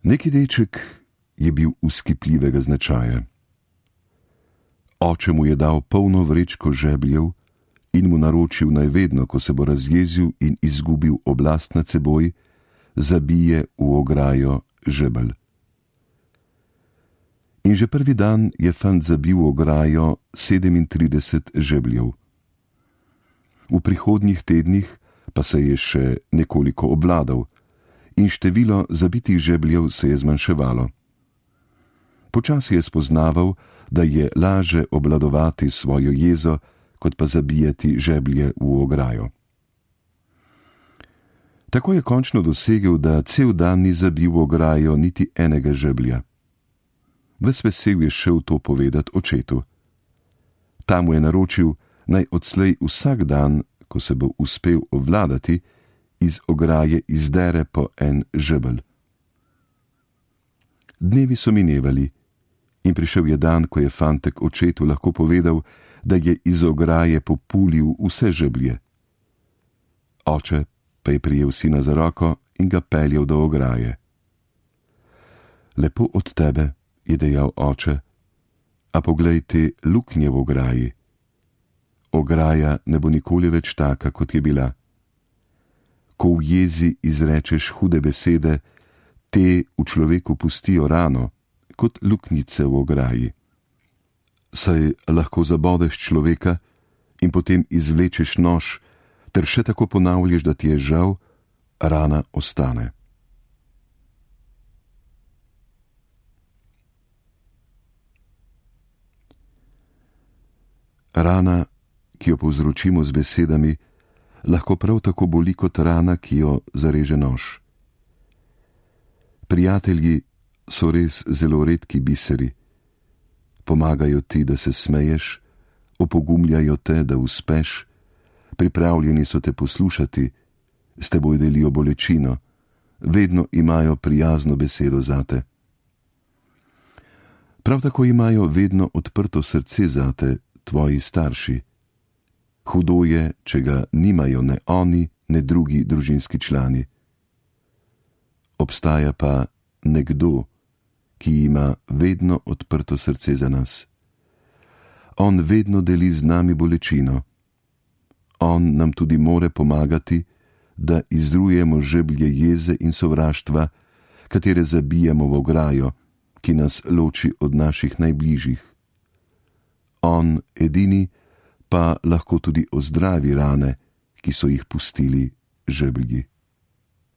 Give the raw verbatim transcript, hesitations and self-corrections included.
Neki deček je bil vzkipljivega značaja. Oče mu je dal polno vrečko žebljev in mu naročil, naj vedno, ko se bo razjezil in izgubil oblast nad seboj, zabije v ograjo žebelj. In že prvi dan je fant zabil v ograjo sedemintrideset žebljev. V prihodnjih tednih pa se je še nekoliko obvladal in število zabitih žebljev se je zmanjševalo. Počasi je spoznaval, da je laže obvladovati svojo jezo, kot pa zabijati žeblje v ograjo. Tako je končno dosegel, da cel dan ni zabil v ograjo niti enega žeblja. Ves vesel je šel to povedat očetu. Ta mu je naročil, naj odslej vsak dan, ko se bo uspel obvladati, iz ograje izdere po en žebelj. Dnevi so minevali in prišel je dan, ko je fantek očetu lahko povedal, da je iz ograje populil vse žeblje. Oče pa je prijel sina za roko in ga peljal do ograje. Lepo od tebe, je dejal oče, a poglej te luknje v ograji. Ograja ne bo nikoli več taka, kot je bila. Ko v jezi izrečeš hude besede, te v človeku pustijo rano, kot luknjice v ograji. Saj lahko zabodeš človeka in potem izvlečeš nož, ter še tako ponavljaš, da ti je žal, rana ostane. Rana, ki jo povzročimo z besedami, lahko prav tako boli kot rana, ki jo zareže nož. Prijatelji so res zelo redki biseri. Pomagajo ti, da se smeješ, opogumljajo te, da uspeš, pripravljeni so te poslušati, s teboj delijo bolečino, vedno imajo prijazno besedo zate. Prav tako imajo vedno odprto srce zate tvoji starši. Hudo je, če ga nimajo ne oni, ne drugi družinski člani. Obstaja pa nekdo, ki ima vedno odprto srce za nas. On vedno deli z nami bolečino. On nam tudi more pomagati, da izrujemo žeblje jeze in sovraštva, katere zabijemo v ograjo, ki nas loči od naših najbližjih. On edini pa lahko tudi ozdravi rane, ki so jih pustili žeblji.